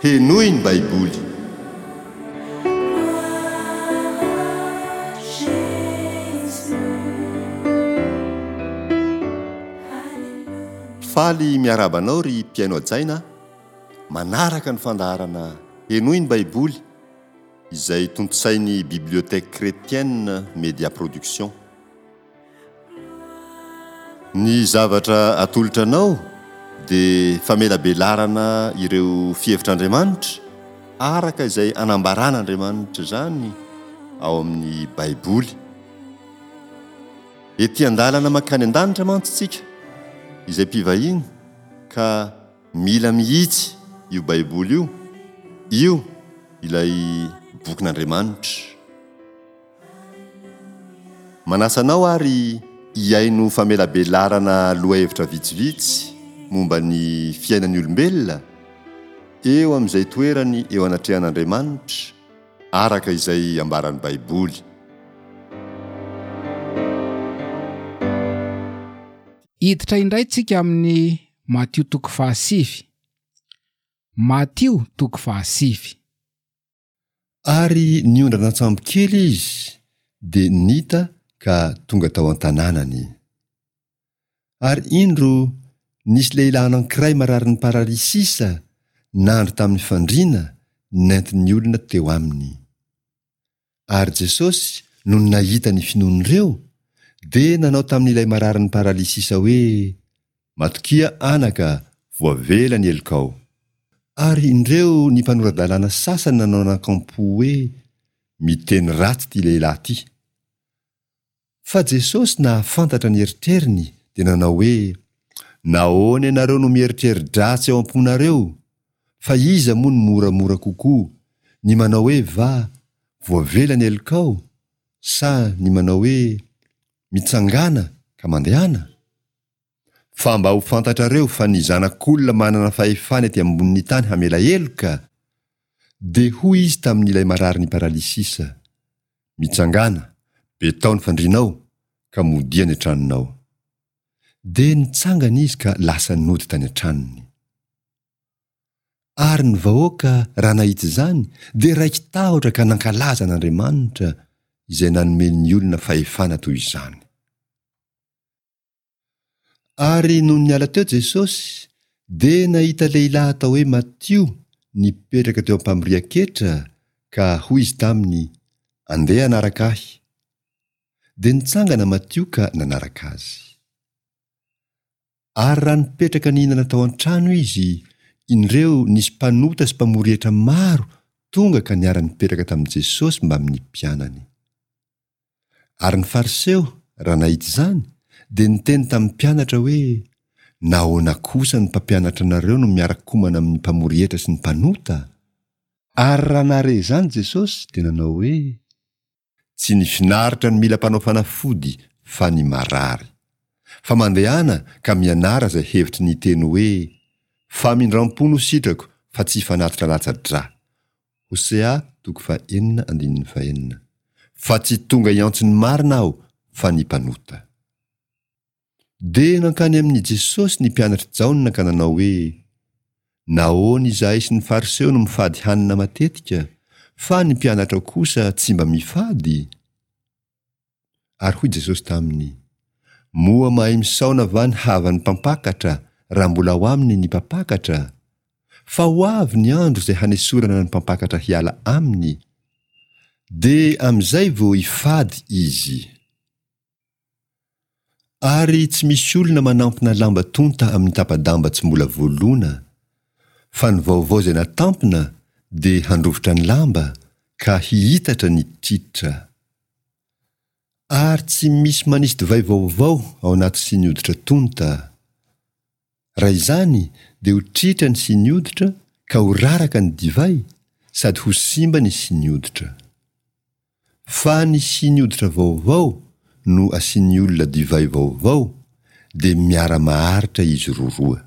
Henoy ny Baiboly. Faly miarahaba anao ry mpihaino hajaina manaraka ny fandaharana Henoy ny Baiboly izay tontosain'ny Bibliothèque Chrétienne Média Production. Ny zavatra atolotra anao dia famelabelarana ireo fihevitr'Andriamanitra araka izay anambaran'Andriamanitra izany ao amin'ny Baiboly. Ety an-dalana mankany an-danitra mantsy isika izay mpivahiny ka mila mihitsy io Baiboly io, io ilay bokin'Andriamanitra. Manasa anao ary hihaino famelabelarana lohahevitra vitsivitsy momba ny fiainan'ny olombelona eo amin'izay toerany eo anatrehan'Andriamanitra araka izay ambaran'ny Baiboly. Hiditra indray tsika amin'ny Matio toko fahasivy. Matio toko fahasivy. Ary niondrana an-tsambokely izy, dia nita ka tonga tao an-tanànany. Ary indro, nisy lehilahy anankiray mararin'ny paralysisa nandry tamin'ny fandriana nentin'ny olona teo aminy. Ary Jesosy, nony nahita ny finoan'ireo, dia nanao tamin'ilay mararin'ny paralysisa hoe, Matokia anaka, voavela ny helokao. Ary indreo ny mpanora-dalàna sasany nanao anakampo hoe, Miteny ratsy ity lehilahy ity. Fa Jesosy nahafantatra ny eritreriny dia nanao hoe, Nahoana ianareo no mieritreri-dratsy ao am-ponareo? Fa iza moa no moramora kokoa, ny manao hoe va, voavela ny helokao, sa ny manao hoe, mitsangàna ka mandehana? Fa mba ho fantatrareo fa ny Zanak'olona manana fahefana ety ambonin'ny tany hamela heloka, dia hoy izy tamin'ilay mararin'ny paralysisa, Mitsangàna, betao ny fandrianao, ka modia any an-tranonao. Dia nitsangana izy ka lasa nody tany an-tranony. Ary ny vahoaka, raha nahita izany, dia raiki-tahotra ka nankalaza an'Andriamanitra, izay nanome ny olona fahefana toy izany. Ary nony niala teo Jesosy, dia nahita lehilahy atao hoe Matio nipetraka teo am-pamorian-ketra, ka hoy izy taminy, Andeha hanaraka ahy. Dia nitsangana Matio ka nanaraka azy. Ary raha nipetraka nihinana tao an-trano izy, indreo nisy mpanota sy mpamory hetra maro tonga ka niara-nipetraka tamin'i Jesosy mbamin'ny mpianany. Ary ny Fariseo, raha nahita izany, dia niteny tamin'ny mpianatra hoe, Nahoana kosa ny mpampianatra anareo no miara-komana amin'ny mpamory hetra sy ny mpanota? Ary raha nahare izany Jesosy, dia nanao hoe, Tsy ny finaritra no mila mpanao fanafody, fa ny marary. Fa mandehana ka mianara izay hevitry ny teny hoe, Famindram-po no sitrako, fa tsy fanatitra latsa-drà. Hosea toko fahenina andininy fahenina Fa tsy tonga hiantso ny marina aho fa ny mpanota. Dia nankany amin'i Jesosy ny mpianatr'i Jaona ka nanao hoe, Nahoana izahay sy ny Fariseo no mifady hanina matetika, fa ny mpianatrao kosa tsy mba mifady? Ary hoy Jesosy taminy, Moa mahay misaona va ny havan'ny mpampakatra raha mbola ao aminy ny mpampakatra? Fa ho avy ny andro izay hanesorana ny mpampakatra hiala aminy, dia amin'izay vao hifady izy. Ary tsy misy olona manampina lamba tonta amin'ny tapa-damba tsy mbola voalona, fa ny vaovao izay natampina dia handrovitra ny lamba ka hihitatra ny tritra. Ary tsy misy manisy divay vaovao ao anaty siny hoditra tonta. Raha izany dia ho tritra ny siny hoditra ka ho raraka ny divay sady ho simba ny siny hoditra. Fa ny siny hoditra vaovao no asian'ny olona divay vaovao dia miara-maharitra izy roroa.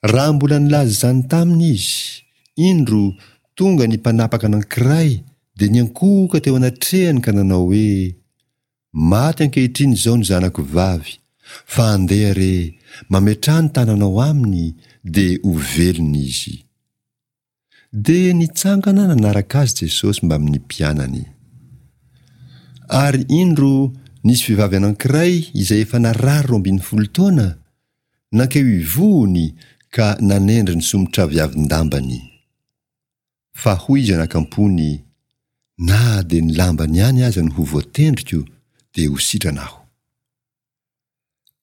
Raha mbola nilaza izany taminy izy, indro, tonga ny mpanapaka anankiray dia niankohoka teo anatrehany ka nanao hoe, Maty ankehitriny izao ny zanako vavy, fa andeha re, mametraha ny tananao aminy, dia ho velona izy. Dia nitsangana nanaraka azy Jesosy mbamin'ny mpianany. Ary indro nisy vehivavy anankiray izay efa narary 12 taona, nankeo ivohony ka nanendry ny somotraviavin-dambany. Fa hoy izy anakampony, Na dia ny lambany ihany aza no ho voatendriko, dia ho sitrana aho.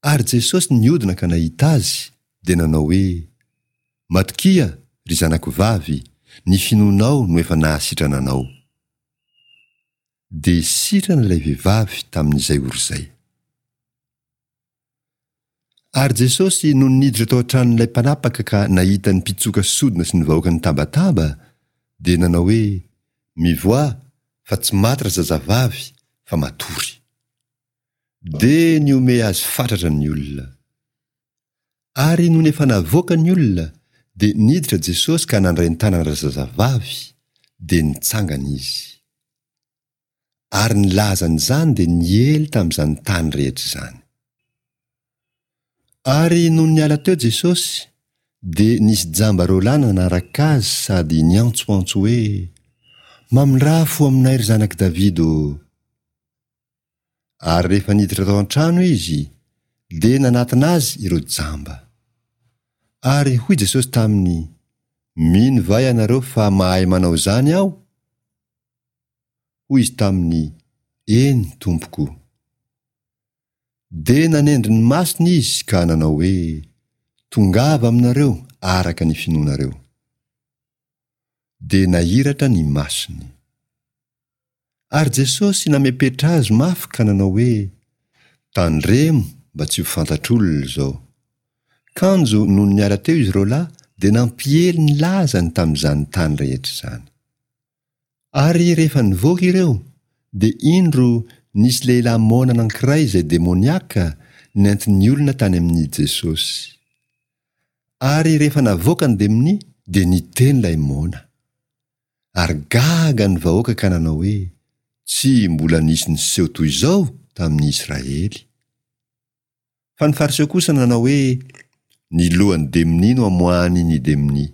Ary Jesosy nihodina ka nahita azy, dia nanao hoe, Matokia, ry zanako vavy, ny finoanao no efa nahasitrana anao. Dia sitrana ilay vehivavy tamin'izay ora izay. Ary Jesosy nony niditra tao an-tranon'ilay mpanapaka ka nahita ny mpitsoka sodina sy ny vahoaka nitabataba, dia nanao hoe, Mivoaha, fa tsy maty razazavavy, fa matory. Dia nihomehy azy fatratra ny olona. Ary nony efa navoaka ny olona, dia niditra Jesosy ka nandray ny tanana razazavavy, dia nitsangana izy. Ary ny lazan'izany dia niely tamin'izany tany rehetra izany. Ary nony niala teo Jesosy, dia nisy jamba roalahy nanaraka azy sady niantsoantso hoe, Mamindrà fo aminay, ry zanak'i Davida ô! Ary rehefa niditra tao an-trano izy, dia nanatona azy ireo jamba. Ary hoy Jesosy taminy, Mino va ianareo fa mahay manao izany aho? Hoy izy taminy, Eny, Tompoko. Dia nanendry ny masony izy ka nanao hoe, Tongava aminareo araka ny finoanareo. Dia nahiratra ny masony. Ary Jesosy namepetra azy mafy ka nanao hoe, Tandremo mba tsy ho fantatr'olona izao. Kanjo nony niala teo izy roalahy dia nampiely ny lazany tamin'izany tany rehetra izany. Ary rehefa nivoaka ireo, dia indro nisy lehilahy moana anankiray izay demoniaka nentin'ny olona tany amin'i Jesosy. Ary rehefa navoaka ny demonia, dia niteny ilay moana. Ary gaga ny vahoaka ka nanao hoe, Tsy mbola nisy niseho toy izao tamin'ny Israely. Fa ny Fariseo kosa nanao hoe, Ny lohan'ny demonia no amoahany ny demonia.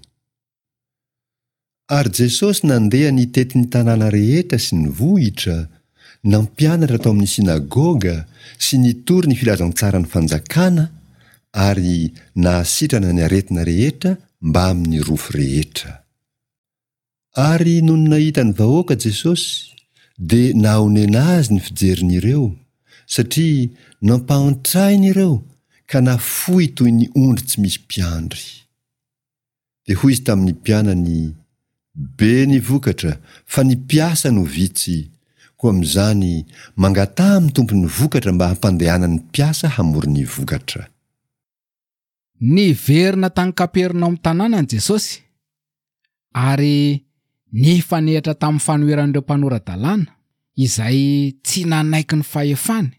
Ary Jesosy nandeha nitety ny tanàna rehetra sy ny vohitra, nampianatra tao amin'ny synagoga sy nitory ny filazantsaran'ny fanjakana ary nahasitrana ny aretina rehetra mbamin'ny rofy rehetra. Ary nony nahita ny vahoaka Jesosy, dia nahonena azy ny fijeriny ireo, satria nampahantrainy ireo ka nafoy toy ny ondry tsy misy mpiandry. Dia hoy izy tamin'ny mpianany, Be ny vokatra, fa ny mpiasa no vitsy, koa amin'izany, mangataha amin'ny Tompon'ny vokatra mba hampandehanany mpiasa hamory ny vokatra. Niverina tany Kapernaomy tanànany Jesosy, ary nifanehatra tamin'ny fanoheran'ireo mpanora-dalàna, izay tsy nanaiky ny fahefany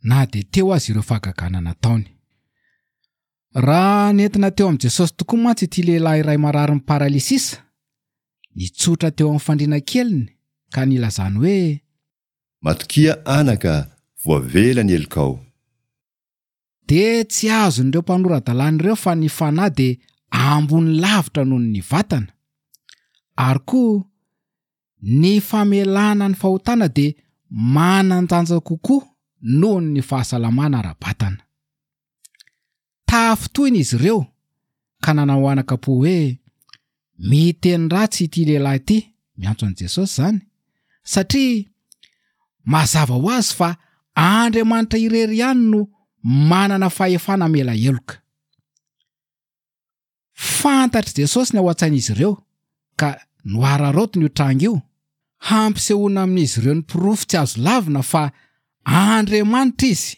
na dia teo aza ireo fahagagana nataony. Raha nentina teo amin'i Jesosy tokoa mantsy ity lehilahy iray mararin'ny paralysisa, nitsotra teo amin'ny fandriana keliny ka nilazany hoe. Matokia anaka, voavela ny helokao. Dia tsy azon'ireo mpanora-dalàna ireo fa ny fanahy dia ambony lavitra noho ny vatana, ary koa ny famelana ny fahotana dia manan-danja kokoa noho ny fahasalamana ara-batana. Tafintohina izy ireo ka nanao anaka-po hoe, Miteny ratsy ity lehilahy ity, miantso an'i Jesosy izany, satria mazava ho azy fa Andriamanitra irery ihany no manana fahefana hamela heloka. Fantatr'i Jesosy ny ao an-tsain'izy ireo ka nohararaotiny io tranga io, hampisehoana amin'izy ireo ny porofo tsy azo lavina fa Andriamanitra izy.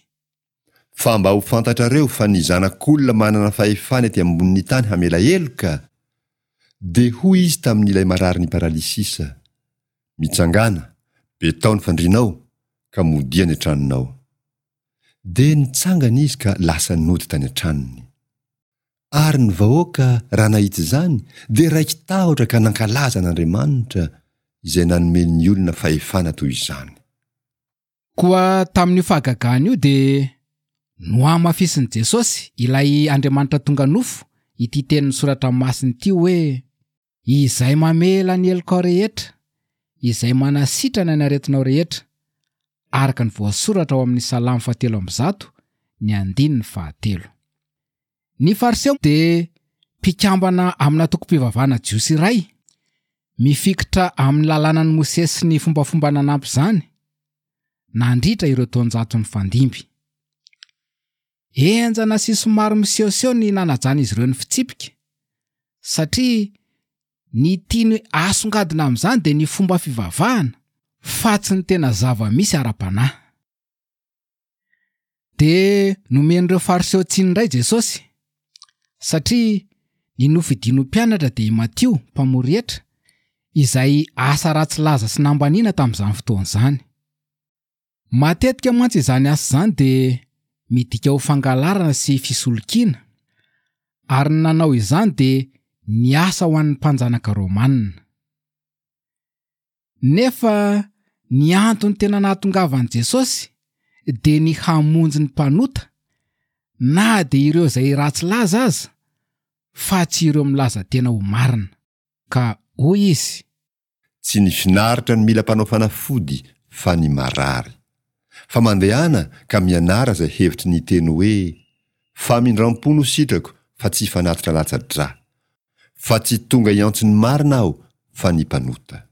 Fa mba ho fantatrareo fa ny Zanak'olona manana fahefana ety ambonin'ny tany hamela heloka, dia hoy izy tamin'ilay mararin'ny paralysisa, Mitsangàna, betao ny fandrianao, ka modia any an-tranonao. Dia nitsangana izy ka lasa nody tany an-tranony. Ary ny vahoaka, raha nahita izany, dia raiki-tahotra ka nankalaza an'Andriamanitra, izay nanome ny olona fahefana toy izany. Koa tamin'io fahagagana io dia nohamafisin'i Jesosy, ilay Andriamanitra tonga nofo, ity tenin'ny Soratra Masina ity hoe. Izay mamela ny helokao rehetra, izay manasitrana ny aretinao rehetra, araka ny voasoratra ao amin'ny Salamo fahatelo 103, ny andininy fahatelo. Ny Fariseo dia mpikambana amina antokom-pivavahana jiosy iray, mifikitra amin'ny lalànan'i Mosesy sy ny fombafomba nanampy izany, nandritra ireo taonjato nifandimby. Henjana sy somary misehoseho ny nanajan'izy ireo ny fitsipika, satria ny tiany asongadina amin'izany dia ny fomba fivavahana, fa tsy ny tena zava-misy ara-panahy. Dia nomen'ireo Fariseo tsiny indray Jesosy, satria ny nofidiny ho mpianatra dia i Matio, mpamory hetra, izay asa ratsy laza sy nambaniana tamin'izany fotoana izany. Matetika mantsy izany asa izany dia midika ho fangalarana sy fisolokiana, ary ny nanao izany dia niasa ho an'ny mpanjanaka romanina. Nefa ny antony tena nahatongavan'i Jesosy dia ny hamonjy ny mpanota, na dia ireo izay ratsy laza aza, fa tsy ireo milaza tena ho marina. Ka hoy Izy. Tsy ny finaritra no mila mpanao fanafody fa ny marary. Fa mandehana ka mianara izay hevitry ny teny hoe, Famindram-po no sitrako fa tsy fanatitra latsa-drà. Fa tsy tonga hiantso ny marina aho fa ny mpanota.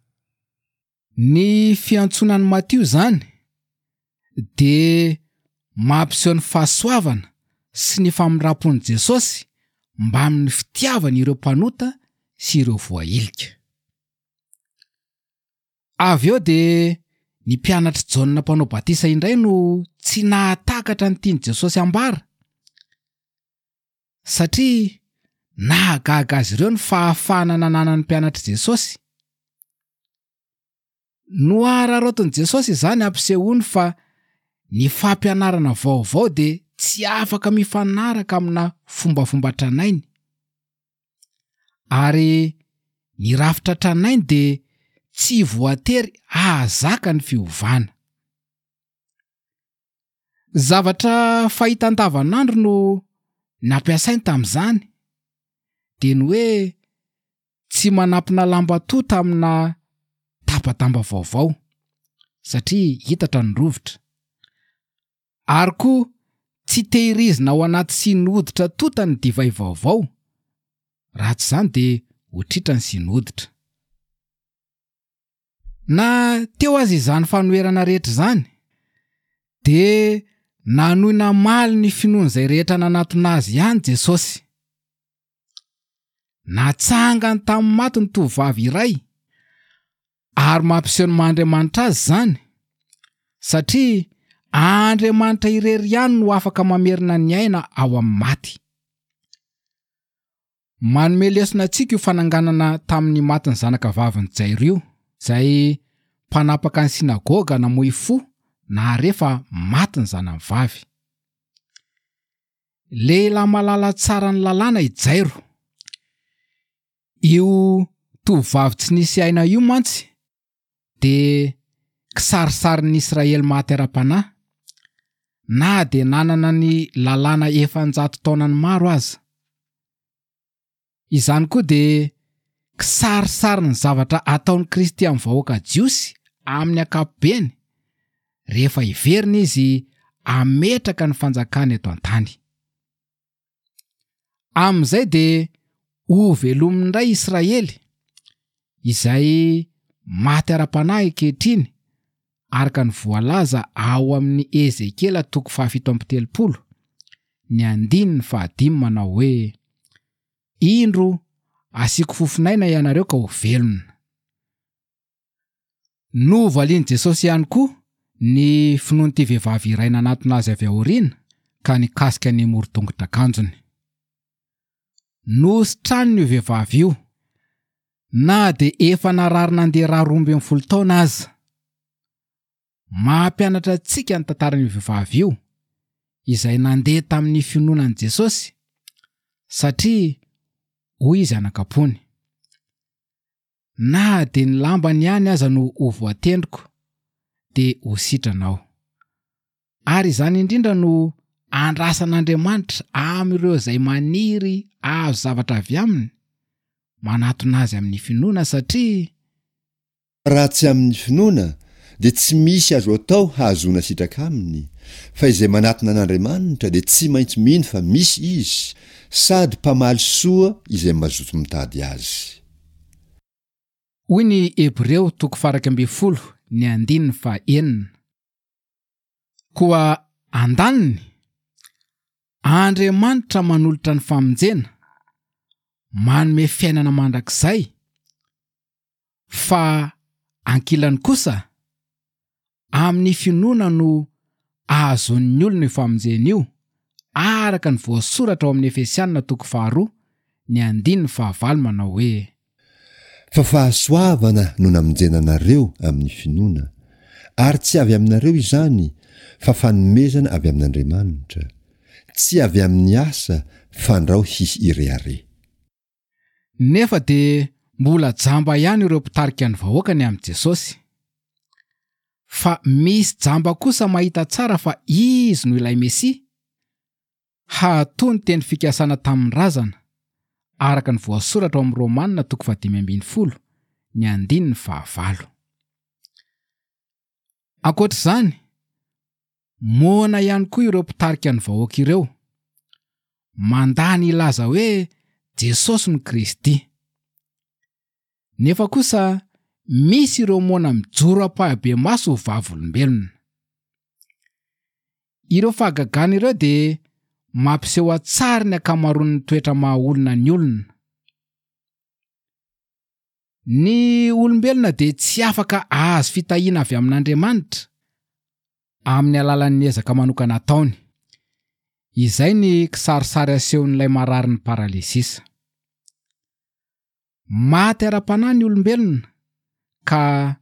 Ny fiantsoana an'i Matio izany dia mampiseho ny fahasoavana sy ny famindram-pon'i Jesosy mbamin'ny fitiavany ireo mpanota sy ireo voahilika. Avy eo dia ny mpianatr'i Jaona Mpanao Batisa indray no tsy nahatakatra ny tian'i Jesosy hambara, satria nahagaga azy ireo ny fahafahana nananan'ny mpianatr'i Jesosy. Nohararaotin'i Jesosy izany hampisehoany fa ny fampianarana vaovao dia tsy afaka mifanaraka amina fombafomba tranainy. Ary ny rafitra tranainy dia tsy voatery hahazaka ny fiovana. Zavatra fahita andavanandro no nampiasainy tamin'izany, dia ny hoe tsy manampina lamba tota amina tapa-damba vaovao, satria hitatra ny rovitra. Ary koa tsy tehirizina ao anaty siny hoditra tota ny divay vaovao, raha tsy izany dia ho tritra ny siny hoditra. Na teo aza izany fanoherana rehetra izany, dia nanohy namaly ny finoan'izay rehetra nanatona azy ihany Jesosy. Natsangany tamin'ny maty ny tovovavy iray, ary mampiseho ny maha Andriamanitra azy izany, satria Andriamanitra irery ihany no afaka mamerina ny aina ao amin'ny maty. Manome lesona antsika io fananganana tamin'ny maty ny zanaka vavin'i Jairo io, izay mpanapaka ny synagoga namoy fo nahare fa maty ny zanany vavy. Lehilahy malala tsara ny lalàna i Jairo. Io tovovavy tsy nisy aina io mantsy dia kisarisarin'ny Israely maty ara-panahy, na dia nanana ny lalàna efa an-jato taonany maro aza. Izany koa dia kisarisarin'ny zavatra ataon'i Kristy amin'ny vahoaka jiosy amin'ny ankapobeny, rehefa hiverina izy hametraka ny fanjakany eto an-tany. Amin'izay dia hovelominy indray Israely, izay maty ara-panahy ankehitriny, araka ny voalaza ao amin'ny Ezekiela toko fahafito 37, ny andininy fahadimy manao hoe, Indro asiako fofon'aina ianareo ka ho velona. Novalian'i Jesosy ihany koa ny finoan'ity vehivavy iray nanatona azy avy aoriana ka nikasika ny moron-tongotr'akanjony. Nositraniny io vehivavy io, na dia efa narary nandeha ra 12 taona aza. Mampianatra antsika ny tantaran'io vehivavy io, izay nandeha tamin'ny finoana an'i Jesosy, satria hoy izy anakam-pony, Na dia ny lambany ihany aza no ho voatendriko, dia ho sitrana aho. Ary izany indrindra no andrasan'Andriamanitra amin'ireo izay maniry hahazo zavatra avy aminy, manatona azy amin'ny finoana satria. Raha tsy amin'ny finoana dia tsy misy azo atao hahazoana sitraka aminy, fa izay manatona an'Andriamanitra dia tsy maintsy mino fa misy Izy, sady mpamaly soa izay mazoto mitady Azy. Hoy ny Hebreo toko faha-11 ny andininy faha-6. Koa andaniny, Andriamanitra manolotra ny famonjena, manome fiainana mandrakizay, fa ankilany kosa, amin'ny finoana no ahazoan'ny olona io famonjena io, araka ny voasoratra ao amin'ny Efesiana toko faharoa, ny andininy fahavalo manao hoe. Fa fahasoavana no namonjena anareo amin'ny finoana, ary tsy avy aminareo izany, fa fanomezana avy amin'Andriamanitra, tsy avy amin'ny asa, fandrao hisy hirehareha. Nefa dia mbola jamba ihany ireo mpitarika ny vahoaka ny amin'i Jesosy. Fa misy jamba kosa mahita tsara fa Izy no ilay Mesia, Hahato ny teny fikasana tamin'ny razana, araka ny voasoratra ao amin'ny Romana toko fahadimy ambin'ny folo, ny andininy fahavalo. Ankoatra izany, moana ihany koa ireo mpitarika ny vahoaka ireo, mandà ny hilaza hoe Jesosy no Kristy. Nefa kosa misy ireo moana mijoro ampahibemaso ho vavolombelona. Ireo fahagagana ireo dia mampiseho an-tsary ny ankamaroan'ny toetra maha-olona ny olona. Ny olombelona dia tsy afaka hahazo fitahiana avy amin'Andriamanitra amin'ny alalan'ny ezaka manokana ataony. Izay ny kisarisary asehon'ilay mararin'ny paralysisa. Maty ara-panahy ny olombelona ka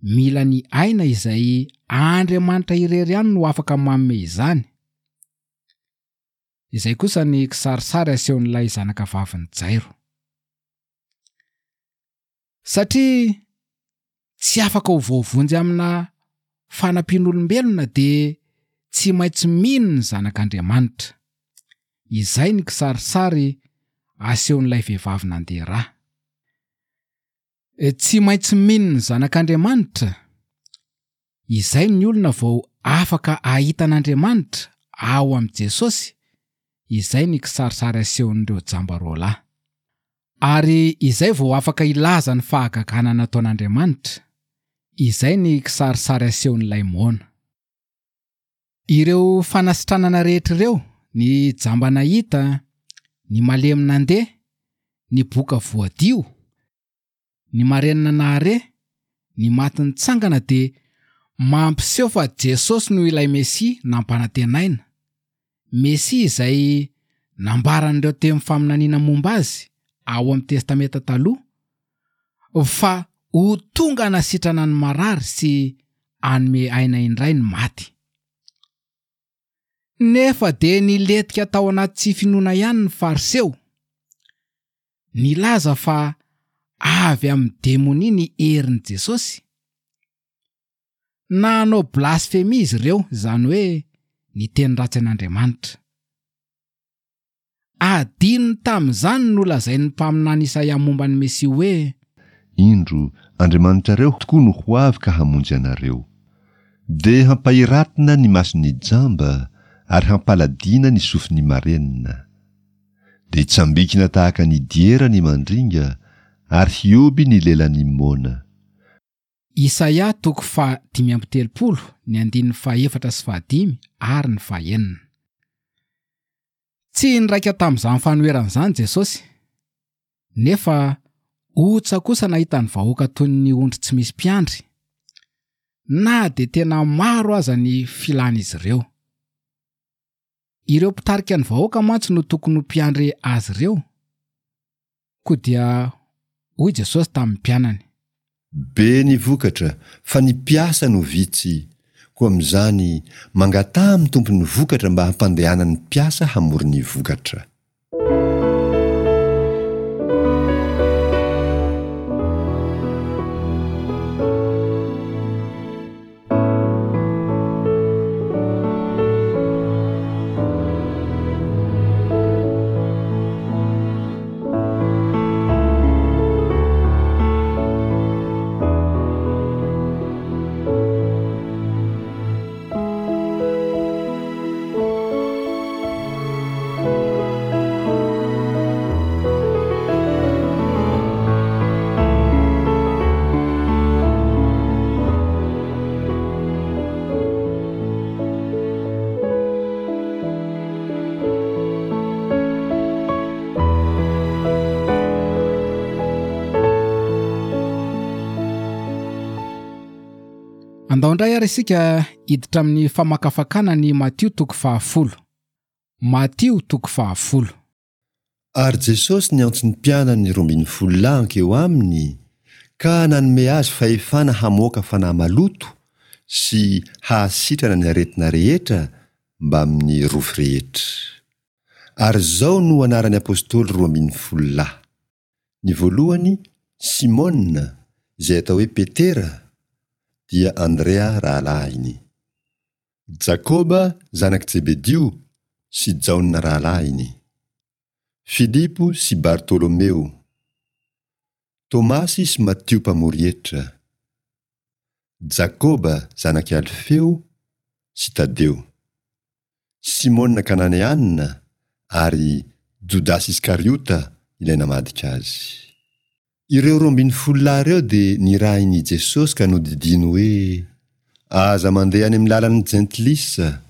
mila ny aina izay Andriamanitra irery ihany no afaka manome izany. Izay kosa ny kisarisary asehon'ilay zanaka vavin'i Jairo. Satria tsy afaka ho voavonjy amina fanampian'olombelona dia tsy maintsy mino ny Zanak'Andriamanitra. Izay ny kisarisary asehon'ilay vehivavy nandeha ra. Tsy maintsy mino ny Zanak'Andriamanitra, izay ny olona vao afaka hahita an'Andriamanitra ao amin'i Jesosy, izay ny kisarisary asehon'ireo jamba roalahy. Ary izay vao afaka hilaza ny fahagagana nataon'Andriamanitra, izay ny kisarisary asehon'ilay moana. Ireo fanasitranana rehetra ireo, ny jamba nahita, ny malemy nandeha, ny boka voadio, ny marenina nahare, ny maty nitsangana dia mampiseho fa Jesosy no ilay Mesia nampanantenaina, Mesia izay nambaran'ireo teny faminaniana momba azy ao amin'ny Testamenta Taloha fa ho tonga hanasitrana ny marary sy hanome aina indray ny maty. Nefa dia nilentika tao anaty tsy finoana ihany ny Fariseo. Nilaza fa avy amin'ny demonia ny herin'i Jesosy. Nanao blasfemia izy ireo, izany hoe niteny ratsy an'Andriamanitra. Adinony tamin'izany ny nolazain'ny mpaminany Isaia momba ny Mesia hoe. Indro, Andriamanitrareo tokoa no ho avy ka hamonjy anareo. Dia hampahiratina ny mason'ny jamba, ary hampaladiana ny sofin'ny marenina. Dia hitsambikina tahaka ny diera ny mandringa, ary hihoby ny lelan'ny moana. Isaia toko faha 35, ny andininy fahaefatra sy fahadimy ary ny fahenina. Tsy niraika tamin'izany fanoherana izany Jesosy, nefa ontsa kosa nahita ny vahoaka toy ny ondry tsy misy mpiandry, na dia tena maro aza ny filan'izy ireo. Ireo mpitarika ny vahoaka mantsy no tokony ho mpiandry azy ireo. Koa dia hoy Jesosy tamin'ny mpianany. Be ny vokatra, fa ny mpiasa no vitsy. Koa amin'izany, mangataha amin'ny Tompon'ny vokatra mba hampandehanany mpiasa hamory ny vokatra. Andao indray ary isika hiditra amin'ny famakafakana ny Matio toko fahafolo. Matio toko fahafolo. Ary Jesosy niantso ny mpianany 12 lahy hankeo aminy, ka nanome azy fahefana hamoaka fanahy maloto sy hahasitrana ny aretina rehetra mbamin'ny rofy rehetra. Ary izao no anaran'ny apostoly 12 lahy. Ny voalohany, Simona, izay atao hoe Petera, dia Andrea rahalahiny. Jakoba zanak'i Jebedio sy Jaona rahalahiny. Filipo sy Bartolomeo. Tomasy sy Matio mpamory hetra. Jakoba zanak'i Alfeo sy Tadeo. Simona Kananeana ary Jodasy Iskariota ilay namadika azy. Ireo 12 lahy ireo dia nirahin' i Jesosy ka nodidiany hoe, Aza mandeha any amin'ny lalan'ny Jentilisa,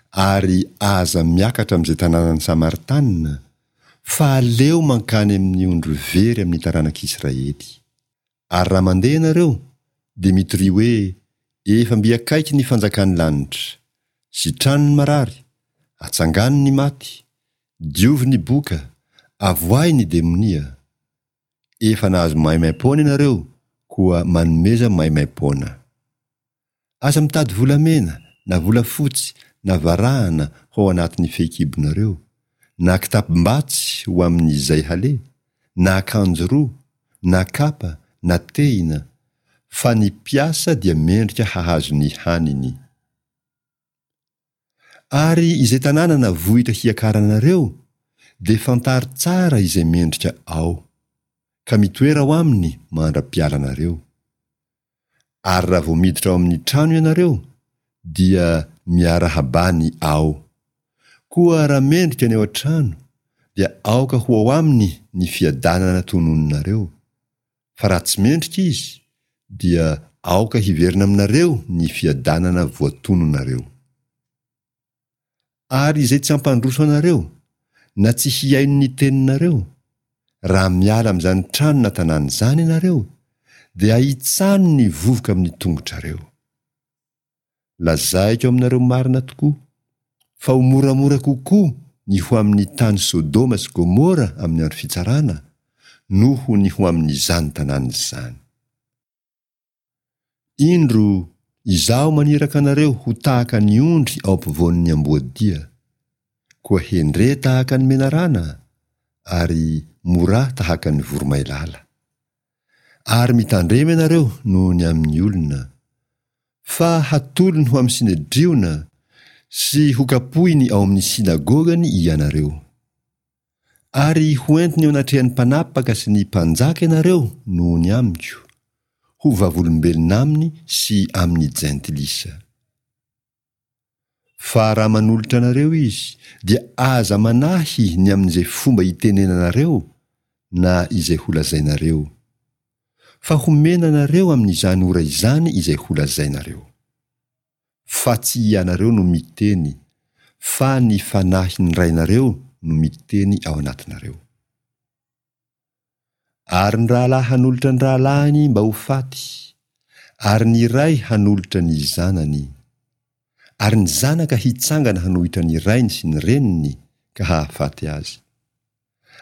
ary aza miakatra amin'izay tanànan'ny Samaritanina, fa aleo mankany amin'ny ondry very amin'ny taranak'Israely. Ary raha mandeha ianareo, dia mitoria hoe, Efa mby akaiky ny fanjakan'ny lanitra. Sitrano ny marary, atsangano ny maty, diovy ny boka, avoahy ny demonia. Efa nahazo maimaim-poana ianareo, koa manomeza maimaim-poana. Aza mitady volamena, na volafotsy, na varahana ho ao anatin'ny fehikibonareo, na kitapom-batsy ho amin'izay haleha, na akanjo roa, na kapa, na tehina, fa ny mpiasa dia mendrika hahazo ny haniny. Ary izay tanàna na vohitra hiakaranareo, dia fantaro tsara izay mendrika ao, ka mitoera ao aminy mandra-pialanareo. Ary raha vao miditra ao amin'ny trano ianareo, dia miarahabà ny ao. Koa raha mendrika ny ao an-trano, dia aoka ho ao aminy ny fiadanana tononinareo, fa raha tsy mendrika izy, dia aoka hiverina aminareo ny fiadanana voatononareo. Ary izay tsy hampandroso anareo, na tsy hihaino ny teninareo, raha miala amin'izany trano na tanàna izany ianareo, dia ahitsano ny vovoka amin'ny tongotrareo. Lazaiko aminareo marina tokoa, fa ho moramora kokoa ny ho amin'ny tany Sodoma sy Gomora amin'ny andro fitsarana, noho ny ho amin'izany tanàna izany. Indro, Izaho maniraka anareo ho tahaka ny ondry ao ampovoan'ny amboadia. Koa hendre tahaka ny menarana, ary morà tahaka ny voromailala. Ary mitandrema ianareo noho ny amin'ny olona. Fa hatolony ho amin'ny Synedriona sy hokapohiny ao amin'ny synagogany ianareo. Ary hoentiny eo anatrehan'ny mpanapaka sy ny mpanjaka ianareo noho ny amiko, ho vavolombelona aminy sy amin'ny jentilisa. Fa raha manolotra anareo izy, dia aza manahy ny amin'izay fomba hitenenanareo na izay holazainareo. Fa homena anareo amin'izany ora izany izay holazainareo. Fa tsy ianareo no miteny, fa ny Fanahin'ny Rainareo no miteny ao anatinareo. Ary ny rahalahy hanolotra ny rahalahiny mba ho faty, ary ny ray hanolotra ny zanany. Ary ny zanaka hitsangana hanohitra ny rainy sy ny reniny ka hahafaty azy.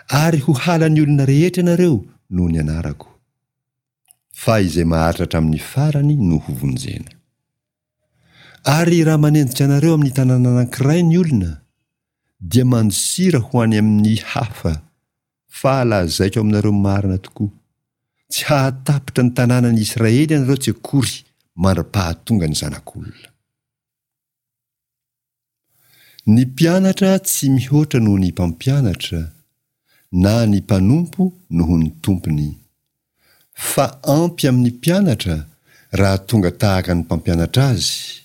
Ary ho halan'ny olona rehetra ianareo noho ny anarako. Fa izay maharitra hatramin'ny farany no hovonjena. Ary raha manenjika anareo amin'ny tanàna anankiray ny olona, dia mandosira ho any amin'ny hafa, fa lazaiko aminareo marina tokoa, tsy hahatapitra ny tanànan'i Israely ianareo tsy akory mandra-pahatonga ny Zanak'olona. Ny mpianatra tsy mihoatra noho ny mpampianatra, na ny mpanompo noho ny tompony. Fa ampy amin'ny mpianatra raha tonga tahaka ny mpampianatra azy,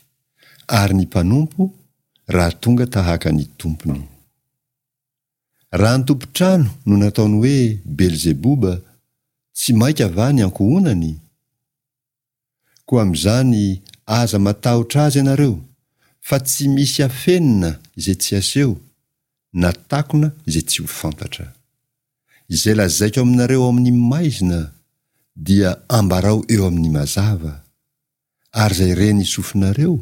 ary ny mpanompo raha tonga tahaka ny tompony. Raha ny tompon-trano no nataony hoe Belzeboba, tsy mainka va ny ankohonany? Koa amin'izany aza matahotra azy ianareo, fa tsy misy afenina izay tsy aseho, na takona izay tsy ho fantatra. Izay lazaiko aminareo ao amin'ny maizina, dia ambarao eo amin'ny mazava. Ary izay ren'ny sofinareo,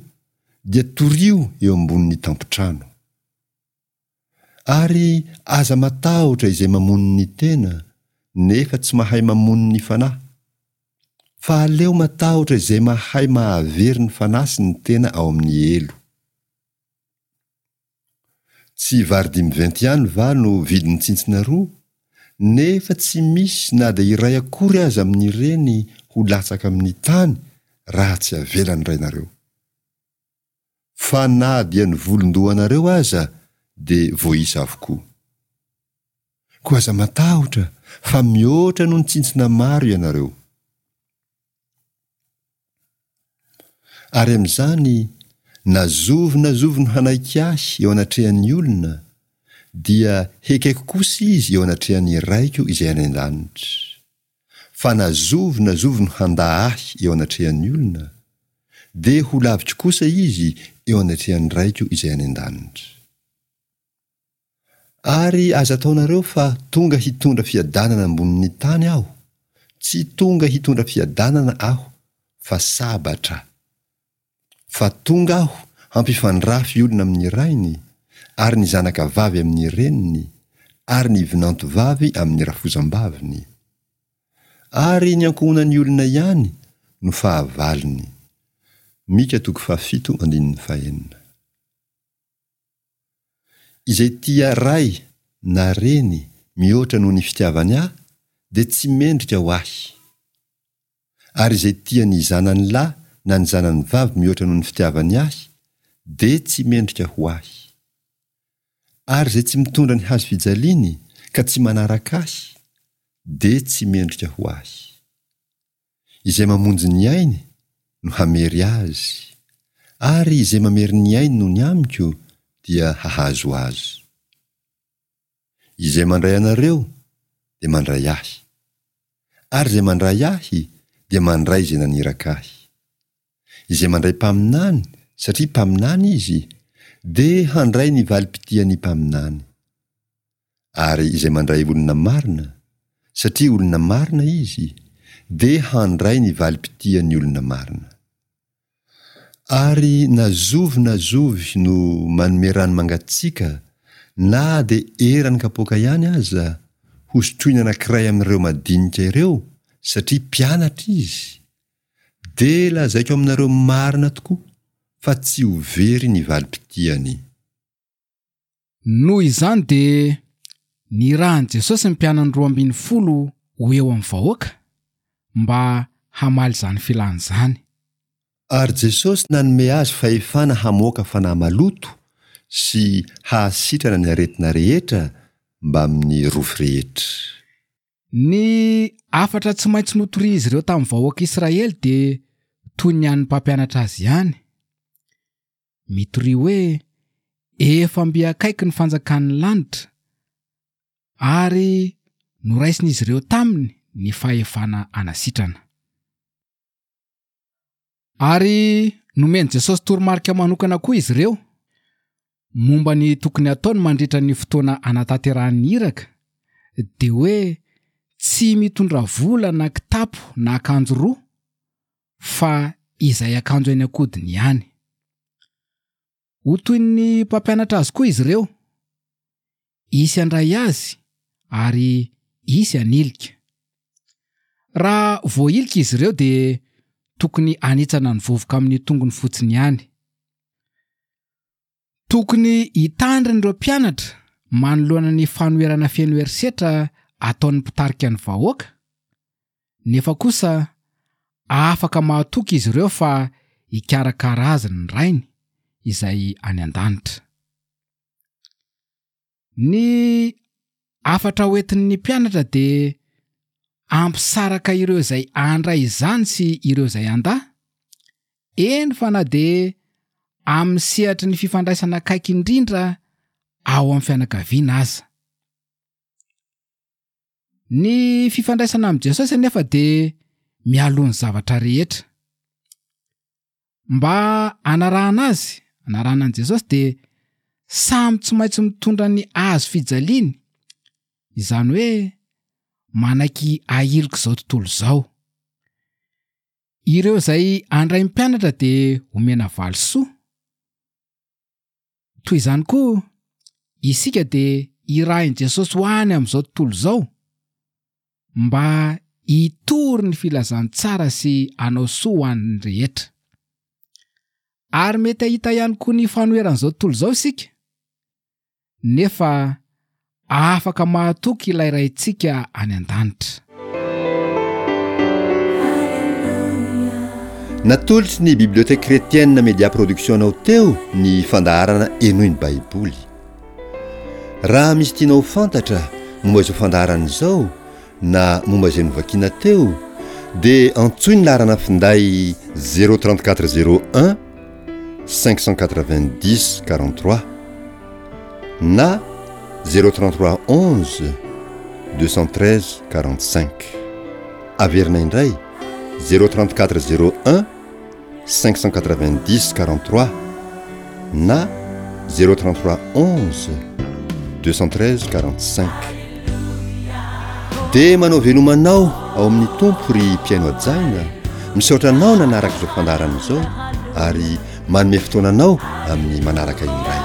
dia torio eo ambonin'ny tampon-trano. Ary aza matahotra izay mamono ny tena, nefa tsy mahay mamono ny fanahy. Fa aleo matahotra izay mahay mahavery ny fanahy sy ny tena ao amin'ny helo. Tsy vary dimiventy ihany va no vidin'ny tsintsina roa, nefa tsy misy na dia iray akory aza amin'ireny ho latsaka amin'ny tany raha tsy avelan'ny Rainareo. Fa na dia ny volon-dohanareo aza dia voaisa avokoa. Koa aza matahotra fa mihoatra noho ny tsintsina maro ianareo. Ary amin'izany, na zovy na zovy no hanaiky ahy eo anatrehan'ny olona, dia hekeko kosa izy eo anatrehan'ny Raiko izay any an-danitra. Fa na zovy na zovy no handà ahy eo anatrehan'ny olona, dia ho laviko kosa izy eo anatrehan'ny Raiko izay any an-danitra. Ary aza ataonareo fa tonga hitondra fiadanana ambonin'ny tany aho, tsy tonga hitondra fiadanana aho fa sabatra. Fa tonga aho hampifandrafy olona amin'ny rainy, ary ny zanaka vavy amin'ny reniny, ary ny vinanto vavy amin'ny rafozam-baviny. Ary ny ankohonan'ny olona ihany no fahavalony. Mika toko fahafito andininy fahenina. Izay tia ray na reny mihoatra noho ny fitiavany ahy dia tsy mendrika ho ahy. Ary izay tia ny zanany lahy na ny zanany vavy mihoatra noho ny fitiavany ahy, dia tsy mendrika ho ahy. Ary izay tsy mitondra ny hazo fijaliany ka tsy manaraka ahy, dia tsy mendrika ho ahy. Izay mamonjy ny ainy no hamery azy, ary izay mamery ny ainy noho ny amiko dia hahazo azy. Izay mandray anareo dia mandray ahy, ary izay mandray ahy dia mandray izay naniraka ahy. Izay mandray mpaminany satria mpaminany izy dia handray ny valim-pitian'ny mpaminany. Ary izay mandray olona marina satria olona marina izy dia handray ny valim-pitian'ny olona marina. Ary na zovy na zovy no manome rano mangatsiaka na dia eran'ny kapoaka ihany aza hosotroina anankiray amin'ireo madinika ireo satria mpianatra izy, dia lazaiko aminareo marina tokoa fa tsy ho very ny valim-pitiany. Noho izany dia nirahan'i Jesosy ny mpianany 12 ho eo amin'ny vahoaka mba hamaly izany filany izany. Ary Jesosy nanome azy fahefana hamoaka fanahy maloto sy hahasitrana ny aretina rehetra mbamin'ny rofy rehetra. Ny hafatra tsy maintsy notorian'izy ireo tamin'ny vahoaka Israely dia toy ny an'ny mpampianatra azy ihany. Mitoria hoe, Efa mby akaiky ny fanjakan'ny lanitra, ary noraisin'izy ireo taminy ny fahefana hanasitrana. Ary nomen'i Jesosy toromarika manokana koa izy ireo momba ny tokony hataony mandritra ny fotoana anatanterahany ny iraka, dia hoe tsy mitondra vola na kitapo na akanjo roa, fa izay akanjo eny an-kodiny ihany. Ho toy ny mpampianatra azy koa izy ireo. Hisy handray azy ary hisy hanilika. Raha voahilika izy ireo dia tokony hanitsana ny vovoka amin'ny tongony fotsiny ihany. Tokony hitandrina ireo mpianatra manoloana ny fanoherana feno herisetra ataon'ny mpitarika ny vahoaka, nefa kosa afaka mahatoky izy ireo fa hikarakara azy ny Rainy izay any an-danitra. Ny hafatra hoentin'ny mpianatra dia hampisaraka ireo izay handray izany sy ireo izay handà, eny fa na dia amin'ny sehatry ny fifandraisana akaiky indrindra ao amin'ny fianakaviana aza. Ny fifandraisana amin'i Jesosy anefa dia mialoha ny zavatra rehetra. Mba hanarahana azy, hanarahana an'i Jesosy dia samy tsy maintsy mitondra ny hazo fijaliany, izany hoe manaiky ahilik'izao tontolo izao. Ireo izay handray mpianatra dia homena valisoa. Toy izany koa, isika dia irahin'i Jesosy ho any amin'izao tontolo izao mba hitory ny filazantsara sy hanao soa ho an'ny rehetra. Ary mety hahita ihany koa ny fanoheran'izao tontolo izao isika. nefa afaka mahatoky ilay Raintsika any an-danitra. Natolotry ny Bibliothèque Chrétienne Media Production anao teo ny fandaharana Henoy ny Baiboly. Raha misy tianao ho fantatra momba izao fandaharana izao na momba izay novakiana teo dia antsoy ny laharana finday 034 01 590 43 na 033 11 213 45. Averina indray 034 01 590 43 na 033 11 213 45. Dia manao veloma anao ao amin'ny Tompo ry mpihaino hajaina, misaotra anao nanaraka izao fandaharana izao ary manome fotoana anao amin'ny manaraka indray.